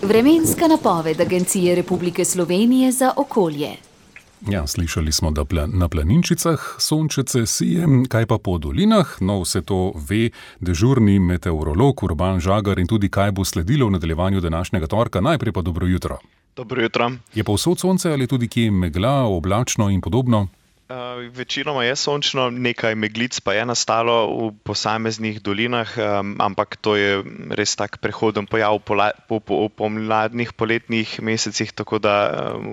Vremenska napoved Agencije Republike Slovenije za okolje. Ja, slišali smo, da na planinčicah sončece sije, kaj pa po dolinah? No, vse to ve dežurni meteorolog Urban Žagar in tudi kaj bo sledilo v nadaljevanju današnjega torka. Najprej pa dobro jutro. Dobro jutro. Je povsod sonce ali tudi kje megla, oblačno in podobno? Večinoma je sončno, nekaj meglic pa je nastalo v posameznih dolinah, ampak to je res tak prehoden pojav v pomladnih poletnih mesecih, tako da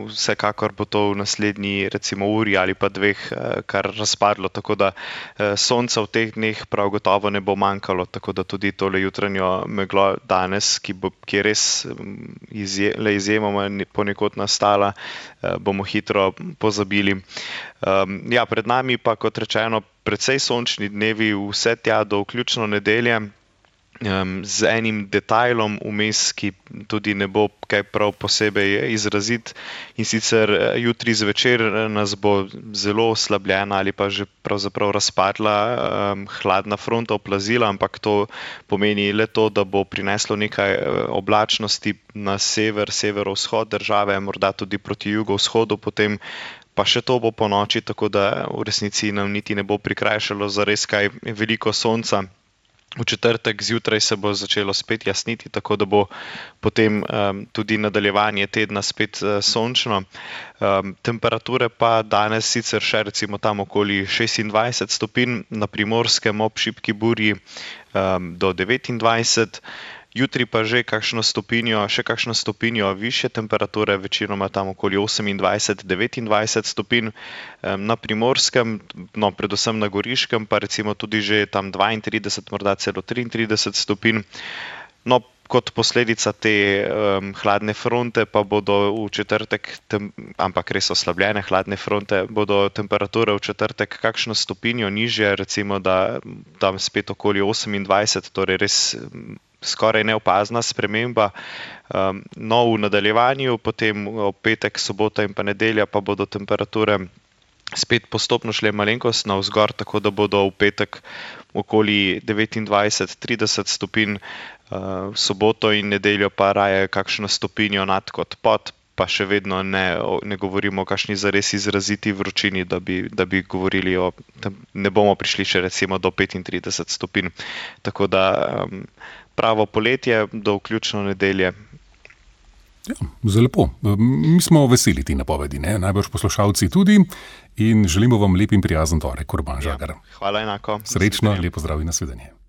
vsekakor bo to v naslednji recimo uri ali pa dveh kar razpadlo, tako da sonca v teh dneh prav gotovo ne bo manjkalo, tako da tudi tole jutranjo meglo danes, ki je res izjemoma ponekod nastala, bomo hitro pozabili. Ja, pred nami pa, kot rečeno, precej sončni dnevi, vse tja do vključno nedelje, z enim detajlom vmes, ki tudi ne bo kaj prav posebej izrazit, in sicer jutri zvečer nas bo zelo oslabljena ali pa že pravzaprav razpadla hladna fronta oplazila, ampak to pomeni le to, da bo prineslo nekaj oblačnosti na severovzhod države, morda tudi proti jugovzhodu, potem pa še to bo po noči, tako da v resnici nam niti ne bo prikrajšalo za res kaj veliko sonca. V četrtek zjutraj se bo začelo spet jasniti, tako da bo potem tudi nadaljevanje tedna spet sončno. Temperature pa danes sicer še recimo tam okoli 26 stopinj, na Primorskem ob šibki burji do 29. Jutri pa že kakšno stopinjo višje temperature, večinoma tam okoli 28-29 stopinj. Na Primorskem, no predvsem na Goriškem, pa recimo tudi že tam 32, morda celo 33 stopinj. No, kot posledica te hladne fronte pa bodo v četrtek, ampak res oslabljene hladne fronte, bodo temperature v četrtek kakšno stopinjo nižje, recimo da tam spet okoli 28, torej res skoraj neopazna sprememba. No, v nadaljevanju, potem v petek, sobota in pa nedelja pa bodo temperature spet postopno šle malenkost navzgor, tako da bodo v petek okoli 29-30 stopinj, v soboto in nedeljo pa raje kakšno stopinjo nad kot pod, pa še vedno ne govorimo o kakšni zares izraziti vročini, da bi govorili ne bomo prišli še recimo do 35 stopinj. Tako da pravo poletje do vključno nedelje. Ja, zelo lepo. Mi smo veseli ti napovedi, ne? Najbrž poslušalci tudi, in želimo vam lep in prijazen torek, Urban Žagar. Ja, hvala enako. Srečno, lepo zdrav in nasvidenje.